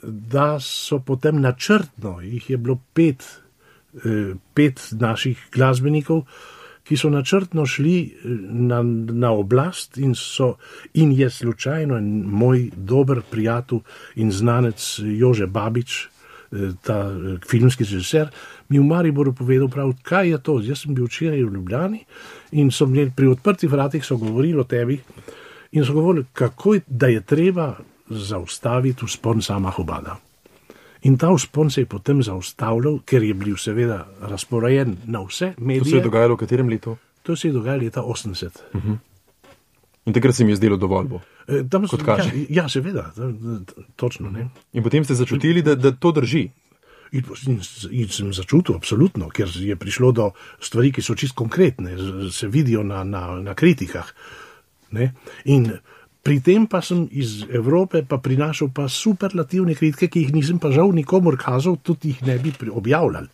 da so potem načrtno, jih je bilo pet naših glasbenikov, ki so načrtno šli na oblast in je slučajno moj dober prijatelj in znanec Jože Babič, ta filmski režiser, mi v Mariboru povedal prav, kaj je to. Jaz sem bil včeraj v Ljubljani in so pri odprtih vratih so govorili o tebi in so govorili, kako da je treba zaustaviti vzpon Sama Hubada. In ta vzpon se je potem zaustavljal, ker je bil seveda razporejen na vse medije. To se je dogajalo v katerem letu? To se je dogajalo leta 80. In takrat se mi je zdelo dovolj bo, kot kaže. Ja, seveda, točno. Ne? In potem ste začutili, da to drži? In sem začutil, absolutno, ker je prišlo do stvari, ki so čist konkretne, se vidijo na kritikah. Ne? In pri tem pa sem iz Evrope pa prinašal pa superlativne kritike, ki jih nisem pa žal nikomor kazal, tudi jih ne bi objavljal.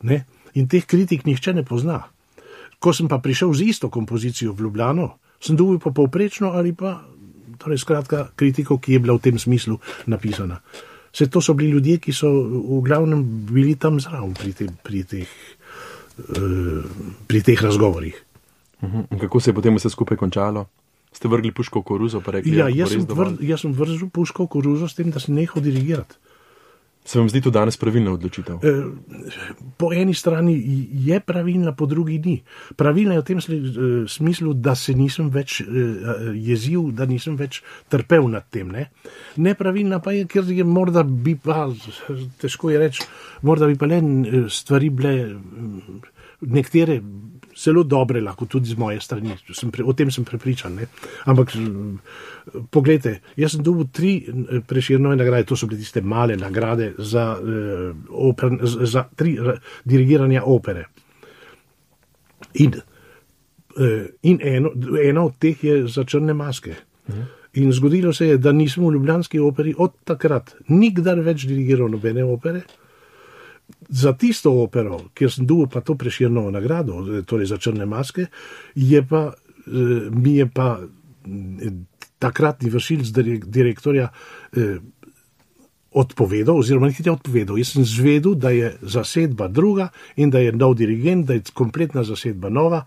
Ne? In teh kritik nihče ne pozna. Ko sem pa prišel z isto kompozicijo v Ljubljano, sem dobil pa povprečno ali pa, torej skratka, kritiko, ki je bila v tem smislu napisana. Vse to so bili ljudje, ki so v glavnem bili tam zraven pri teh razgovorih. In kako se je potem vse skupaj končalo? Ste vrgli puško v koruzo, pa rekli, ja, jaz sem vrzel puško v koruzo s tem, da sem nehal dirigirati. Se vam zdi to danes pravilna odločitev? Po eni strani je pravilna, po drugi ni. Pravilna je v tem smislu, da se nisem več jezil, da nisem več trpel nad tem. Nepravilna pa je, ker je morda bi pa, težko je reči, morda bi pa le stvari bile nekatere zelo dobre, lahko tudi z moje strani, o tem sem prepričan. Ampak poglejte, jaz sem dobil 3 Prešernove nagrade, to so bile tiste male nagrade za 3 dirigiranja opere. In eno od teh je za Črne maske. In zgodilo se je, da nisem v ljubljanski operi od takrat nikdar več dirigiral nobene opere. Za tisto opero, kjer sem dobil pa to Prešernovo nagrado, torej za Črne maske, mi je pa takratni vršilec direktorja odpovedal, oziroma nekaj je odpovedal. Jaz sem zvedel, da je zasedba druga in da je nov dirigent, da je kompletna zasedba nova.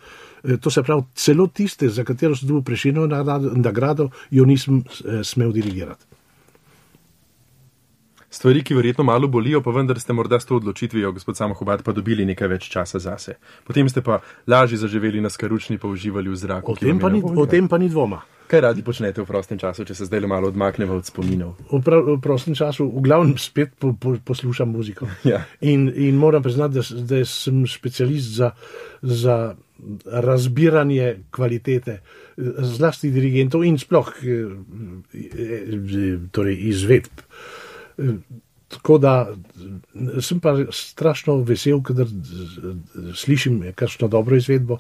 To se pravi, celo tiste, za katero sem dobil Prešernovo nagrado, jo nisem smel dirigirati. Stvari, ki verjetno malo bolijo, pa vendar ste morda s to odločitvijo, gospod Samo Hubad, pa dobili nekaj več časa zase. Potem ste pa lažje zaživeli na Skaručni, pa uživali v zraku. O tem pa ni dvoma. Kaj radi počnete v prostem času, če se zdaj malo odmakneva od spominov? V prostem času v glavnem spet poslušam muziko. Ja. In moram priznati, da sem specialist za razbiranje kvalitete, zlasti dirigentov in sploh torej izvedb. Tako da sem pa strašno vesel, kadar slišim kakšno dobro izvedbo,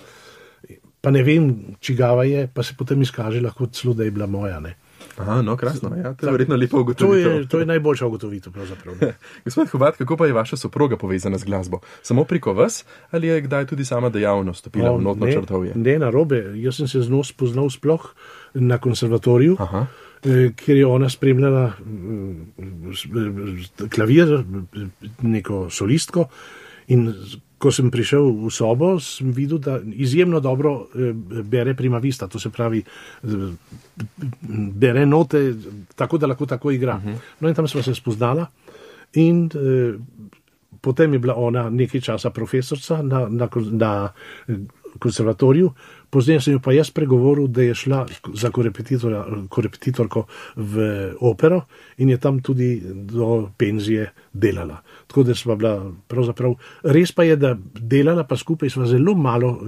pa ne vem, čigava je, pa se potem izkaže lahko celo, da je bila moja. Ne? Aha, no, krasno, ja, to je verjetno lepa ugotovitev. To je najboljša ugotovitev, pravzaprav. Gospod Hubad, kako pa je vaša soproga povezana z glasbo? Samo preko vas, ali je kdaj tudi sama dejavno stopila v notno črtovje? Ne, narobe. Jaz sem se z njo spoznal sploh na konservatoriju. Aha. Kjer je ona spremljala klavir, neko solistko, in ko sem prišel v sobo, sem videl, da izjemno dobro bere prima vista, to se pravi, bere note, tako da lahko tako igra. No in tam sva se spoznala in potem je bila ona nekaj časa profesorca na konservatoriju. Pozneje sem jo pa jaz pregovoril, da je šla za korepetitorko v opero in je tam tudi do penzije delala. Tako da sva bila pravzaprav, res pa je, da delala pa skupaj sva zelo malo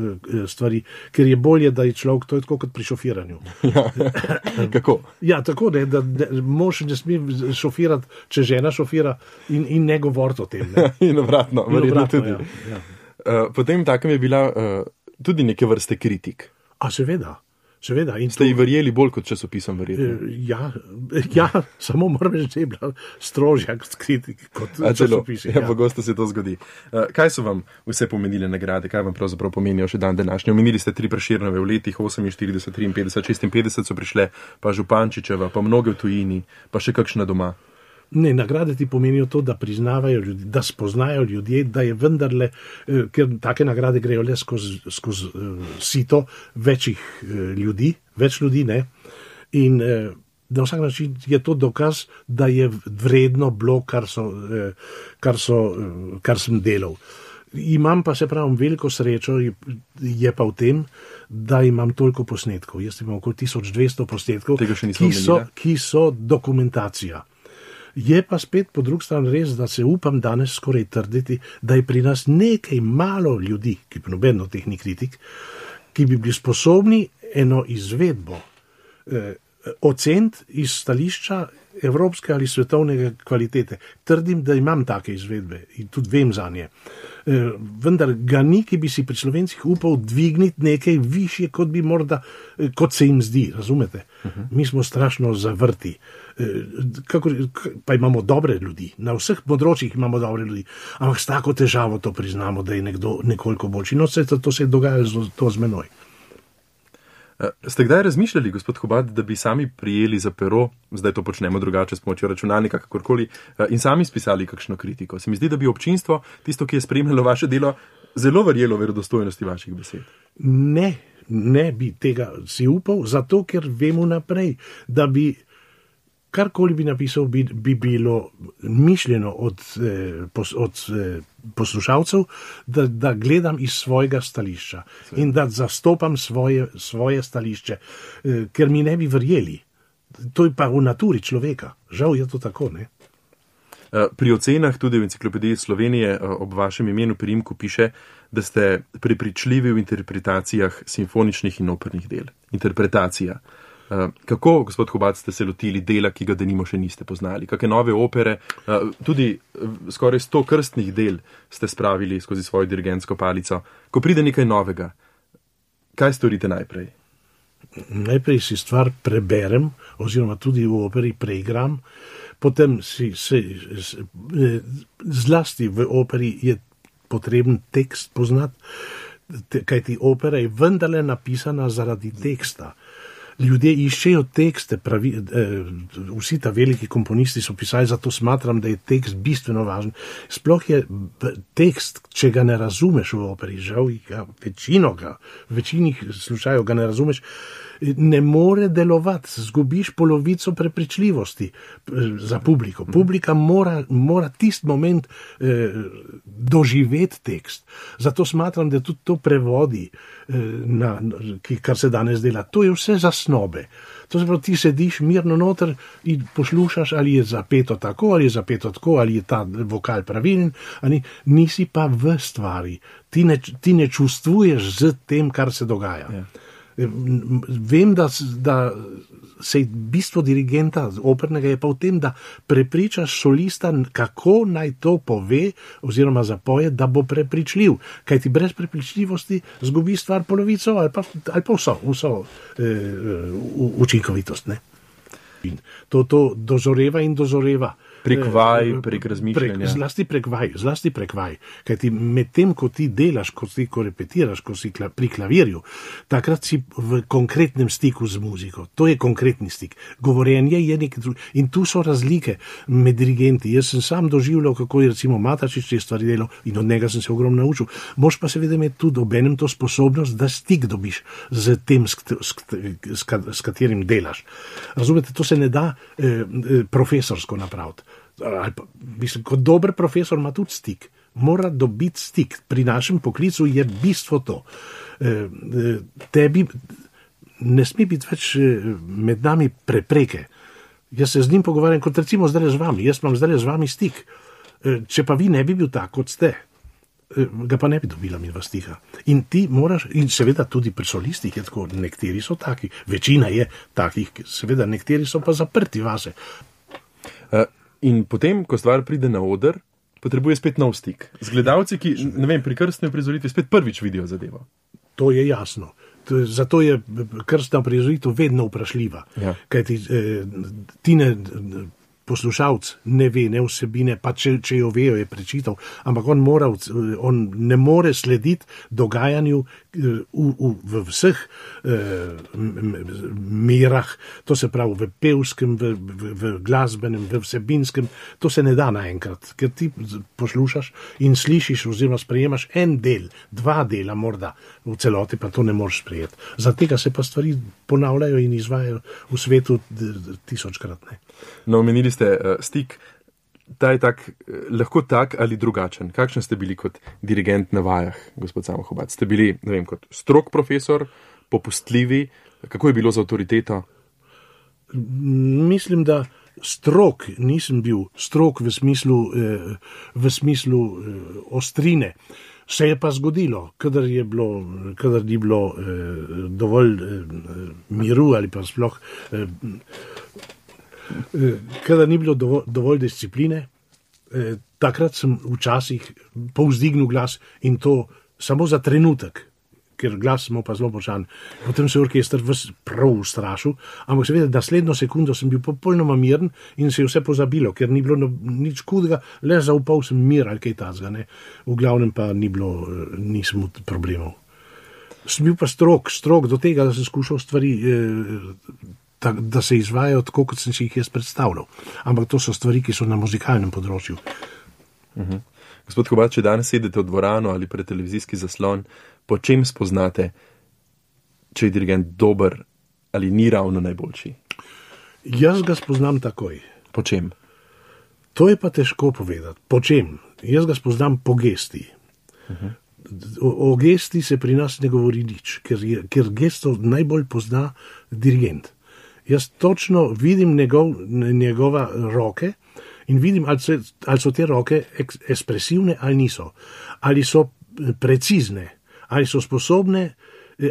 stvari, ker je bolje, da je človek, to je tako kot pri šofiranju. Ja, kako? Ja, tako, da mož ne sme šofirati, če žena šofira in ne govoriti o tem. Ne? In obratno, verjetno tudi. Ja. Potem takem je bila tudi neke vrste kritik. A seveda. In ste ji verjeli bolj kot časopisom, verjetno? Ja, samo moram reči, da je bila strožja kot časopisi. Ja, pogosto se to zgodi. Kaj so vam vse pomenile nagrade? Kaj vam pravzaprav pomenijo še dan današnji? Omenili ste 3 Prešernove v letih 48, 53, 56 so prišle, pa Župančičeva, pa mnoge v tujini, pa še kakšna doma. Ne, nagrade ti pomenijo to, da priznavajo ljudi, da spoznajo ljudje, da je vendarle, ker take nagrade grejo le skozi sito večjih ljudi, več ljudi, ne. In na vsak način je to dokaz, da je vredno bilo, kar sem delal. Imam pa, se pravim, veliko srečo, je pa v tem, da imam toliko posnetkov. Jaz imam okoli 1200 posnetkov, ki so dokumentacija. Je pa spet po drugi strani res, da se upam danes skoraj trditi, da je pri nas nekaj malo ljudi, ki pa nobeno teh ni kritik, ki bi bili sposobni eno izvedbo oceniti iz stališča evropske ali svetovne kvalitete. Trdim, da imam take izvedbe in tudi vem za nje. Vendar ga ni, ki bi si pri Slovencih upal dvigniti nekaj višje, kot se jim zdi, razumete? Mi smo strašno zavrti. Pa imamo dobre ljudi, na vseh področjih imamo dobre ljudi, ampak s tako težavo to priznamo, da je nekdo nekoliko boljši. No, to se je dogajalo to z menoj. Ste kdaj razmišljali, gospod Hubad, da bi sami prijeli za pero, zdaj to počnemo drugače s pomočjo računalnika, kakorkoli, in sami spisali kakšno kritiko? Se mi zdi, da bi občinstvo, tisto, ki je spremljalo vaše delo, zelo verjelo verodostojnosti vaših besed. Ne bi tega si upal, zato ker vemo naprej, da bi karkoli bi napisal, bi bilo mišljeno od poslušalcev, da gledam iz svojega stališča in da zastopam svoje stališče, ker mi ne bi verjeli. To je pa v naturi človeka. Žal je to tako, ne? Pri ocenah tudi v Enciklopediji Slovenije ob vašem imenu priimku piše, da ste prepričljivi v interpretacijah simfoničnih in opernih del. Interpretacija. Kako, gospod Hubad, ste se lotili dela, ki ga denimo še niste poznali? Kakšne nove opere, tudi skoraj 100 krstnih del ste spravili skozi svojo dirigentsko palico. Ko pride nekaj novega, kaj storite najprej? Najprej si stvar preberem, oziroma tudi v operi preigram, potem zlasti v operi je potreben tekst poznati, kajti opera je vendarle napisana zaradi teksta. Ljudje iščejo tekste, vsi ta veliki komponisti so pisali, zato smatram, da je tekst bistveno važen. Sploh je tekst, če ga ne razumeš v operi, žal večini slučajev ga ne razumeš, ne more delovati, zgubiš polovico prepričljivosti za publiko. Publika mora tisti moment doživeti tekst. Zato smatram, da tudi to prevodi, kar se danes dela. To je vse zasnobe. To se pravi, ti sediš mirno noter in poslušaš, ali je zapeto tako, ali je zapeto tako, ali je ta vokal pravilen, ali nisi pa v stvari. Ti ne čustvuješ z tem, kar se dogaja. Ja. Vem, da se bistvo dirigenta opernega je pa v tem, da prepričaš solista, kako naj to pove oziroma zapoje, da bo prepričljiv. Kaj ti brez prepričljivosti zgubi stvar polovico ali pa vso učinkovitost. Ne? To dozoreva in dozoreva. Prek vaj, prek razmišljanja. Zlasti prek vaj. Kajti med tem, ko ti delaš, ko repetiraš, ko si pri klavirju, takrat si v konkretnem stiku z muziko. To je konkretni stik. Govorjenje je nekaj drugega. In tu so razlike med dirigenti. Jaz sem sam doživljal, kako je recimo Matačič te stvari delal in od njega sem se ogromno naučil. Moš pa seveda imeti tudi obenem to sposobnost, da stik dobiš z tem, s katerim delaš. Razumete, to se ne da profesorsko napraviti. Mislim, kot dober profesor ima tudi stik. Mora dobiti stik. Pri našem poklicu je bistvo to. Tebi ne sme biti več med nami prepreke. Jaz se z njim pogovarjam, kot recimo zdaj z vami. Jaz imam zdaj z vami stik. Če pa vi ne bi bil tak, kot ste, ga pa ne bi dobila midva stika. In ti moraš, in seveda tudi pri solistih je tako, nekateri so taki, večina je takih, seveda nekateri so pa zaprti vase. In potem, ko stvar pride na oder, potrebuje spet nov stik. Z gledalci, ki, ne vem, pri krstni uprizoritvi spet prvič vidijo zadevo. To je jasno. Zato je krstna uprizoritev vedno vprašljiva. Ja. Kajti ti poslušalec ne ve, ne vsebine, pa če jo vejo, je prečital, ampak on ne more slediti dogajanju, v vseh merah, to se pravi v pevskem, v glasbenem, v vsebinskem, to se ne da naenkrat, ker ti poslušaš in slišiš oziroma sprejemaš en del, 2 dela morda, v celoti pa to ne moreš sprejeti. Zato se pa stvari ponavljajo in izvajajo v svetu 1000-krat. No, omenili ste stik. Ta je lahko tak ali drugačen. Kakšen ste bili kot dirigent na vajah, gospod Samo Hubad? Ste bili, ne vem, kot strog profesor, popustljivi? Kako je bilo z avtoriteto? Mislim, da strog nisem bil, strog v smislu ostrine. Se je pa zgodilo, kadar ni bilo dovolj miru ali pa sploh kadar ni bilo dovolj discipline, takrat sem včasih povzdignil glas in to samo za trenutek, ker glas smo pa zelo močan. Potem se je orkester prav ustrašil, ampak seveda naslednjo sekundo sem bil popolnoma miren in se je vse pozabilo, ker ni bilo nič hudega, le zaupal sem mir ali kaj takega. V glavnem pa nisem problemov. Sem bil pa strog do tega, da sem skušal stvari da se izvajajo tako, kot sem si jih jaz predstavljal. Ampak to so stvari, ki so na muzikalnem področju. Gospod Hubad, če danes sedete v dvorano ali pred televizijski zaslon, po čem spoznate, če je dirigent dober ali ni ravno najboljši? Jaz ga spoznam takoj. Po čem? To je pa težko povedati. Po čem? Jaz ga spoznam po gesti. O gesti se pri nas ne govori nič, ker gesto najbolj pozna dirigent. Jaz točno vidim njegova roke in vidim, ali so te roke ekspresivne ali niso. Ali so precizne, ali so sposobne,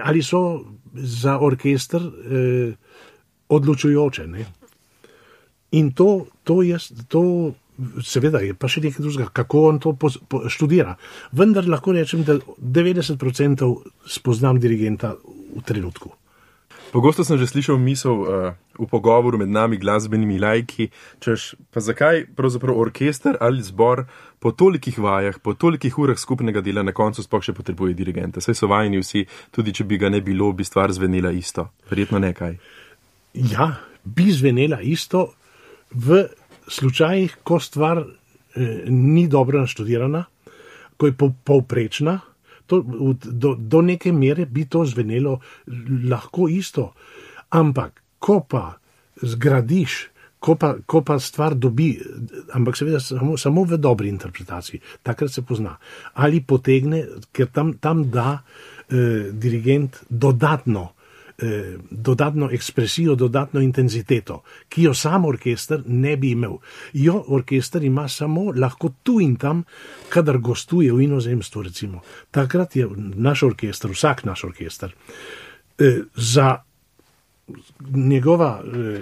ali so za orkester odločujoče. In to seveda je pa še nekaj drugega, kako on to študira. Vendar lahko rečem, da 90% spoznam dirigenta v trenutku. Pogosto sem že slišal misel v pogovoru med nami glasbenimi laiki, češ, pa zakaj pravzaprav orkester ali zbor po tolikih vajah, po tolikih urah skupnega dela na koncu sploh še potrebuje dirigenta. Saj so vajeni vsi, tudi če bi ga ne bilo, bi stvar zvenela isto. Verjetno nekaj. Ja, bi zvenela isto v slučajih, ko stvar ni dobro naštudirana, ko je povprečna. Do neke mere bi to zvenelo lahko isto, ampak ko pa zgradiš, ko pa stvar dobi, ampak seveda samo v dobri interpretaciji, takrat se pozna. Ali potegne, ker tam da dirigent dodatno ekspresijo, dodatno intenziteto, ki jo sam orkester ne bi imel. Orkester ima samo lahko tu in tam, kadar gostuje v inozemstvu, recimo. Takrat je vsak naš orkester, za njegova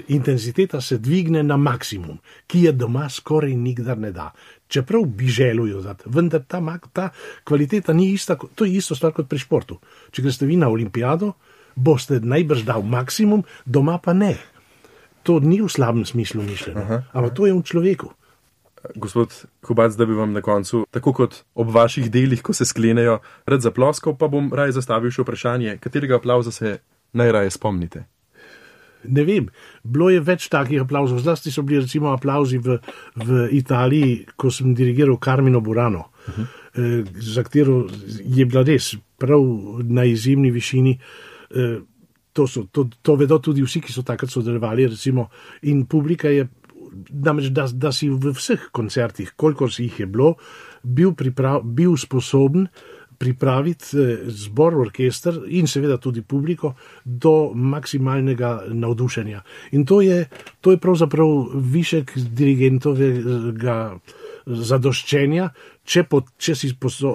intenziteta se dvigne na maksimum, ki je doma skoraj nikdar ne da. Čeprav bi želel dati, vendar ta kvaliteta ni ista, to je isto stvar kot pri športu. Če greste vi na olimpijado, boste najbrž dal maksimum, doma pa ne. To ni v slabem smislu mišljeno, ampak to je v človeku. Gospod Hubad, da bi vam na koncu, tako kot ob vaših delih, ko se sklenejo, rad zaploskal, pa bom raje zastavil še vprašanje, katerega aplavza se najraje spomnite? Ne vem, bilo je več takih aplavzov, zlasti so bili recimo aplavzi v Italiji, ko sem dirigiral Carmino Burano, za katero je bila res prav na izjemni višini. To vedo tudi vsi, ki so takrat sodelovali, recimo, in publika je, namreč, da si v vseh koncertih, kolikor si jih je bilo, bil sposoben pripraviti zbor, orkester in seveda tudi publiko do maksimalnega navdušenja. In to je pravzaprav višek dirigentovega zadoščenja, če si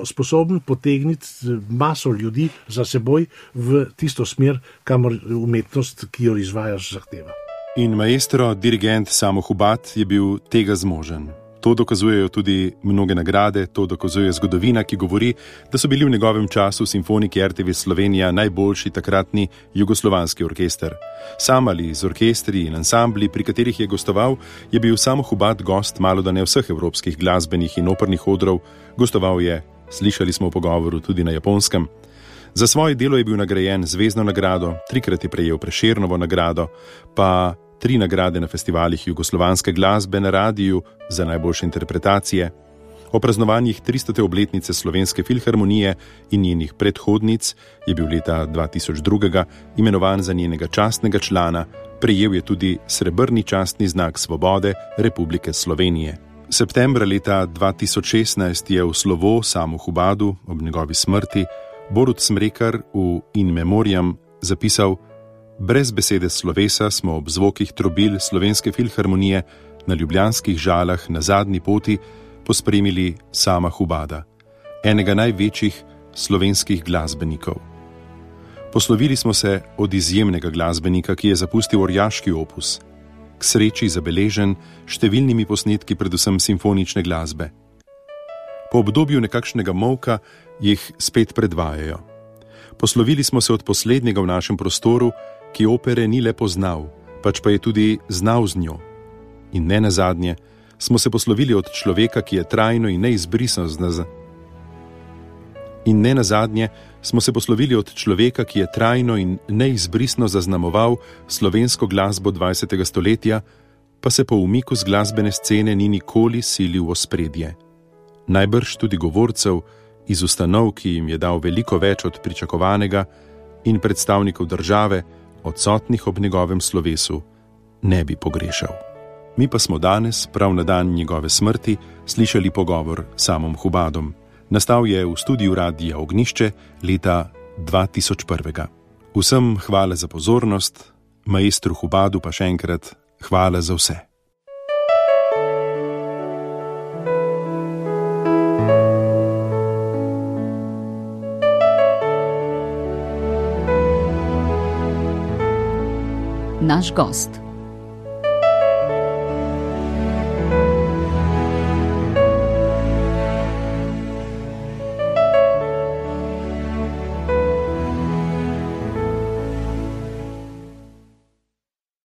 sposoben potegniti maso ljudi za seboj v tisto smer, kamor umetnost, ki jo izvajaš, zahteva. In maestro, dirigent Samo Hubad je bil tega zmožen. To dokazujejo tudi mnoge nagrade, to dokazuje zgodovina, ki govori, da so bili v njegovem času simfoniki RTV Slovenija najboljši takratni jugoslovanski orkester. Sam ali z orkestri in ansambli, pri katerih je gostoval, je bil Samo Hubad gost malodane vseh evropskih glasbenih in opernih odrov, gostoval je, slišali smo v pogovoru, tudi na Japonskem. Za svoje delo je bil nagrajen z zvezdno nagrado, 3-krat je prejel Prešernovo nagrado, pa 3 nagrade na festivalih jugoslovanske glasbe na radiju za najboljše interpretacije. O praznovanjih 300. obletnice Slovenske filharmonije in njenih predhodnic je bil leta 2002 imenovan za njenega častnega člana, prejel je tudi srebrni častni znak svobode Republike Slovenije. Septembra leta 2016 je v slovo Samu Hubadu ob njegovi smrti Borut Smrekar v In Memoriam zapisal: brez besede slovesa smo ob zvokih trobil Slovenske filharmonije na ljubljanskih Žalah na zadnji poti pospremili Sama Hubada, enega največjih slovenskih glasbenikov. Poslovili smo se od izjemnega glasbenika, ki je zapustil orjaški opus, k sreči zabeležen številnimi posnetki predvsem simfonične glasbe. Po obdobju nekakšnega molka jih spet predvajajo. Poslovili smo se od poslednjega v našem prostoru, ki opere ni le poznal, pač pa je tudi znal z njo. In ne nazadnje smo se poslovili od človeka, ki je trajno in neizbrisno zaznamoval slovensko glasbo 20. stoletja, pa se po umiku z glasbene scene ni nikoli silil v ospredje. Najbrž tudi govorcev iz ustanov, ki jim je dal veliko več od pričakovanega, in predstavnikov države, odsotnih ob njegovem slovesu, ne bi pogrešal. Mi pa smo danes, prav na dan njegove smrti, slišali pogovor s Samom Hubadom. Nastal je v studiu Radia Ognišče leta 2001. Vsem hvala za pozornost, maestru Hubadu pa še enkrat hvala za vse. Naš gost.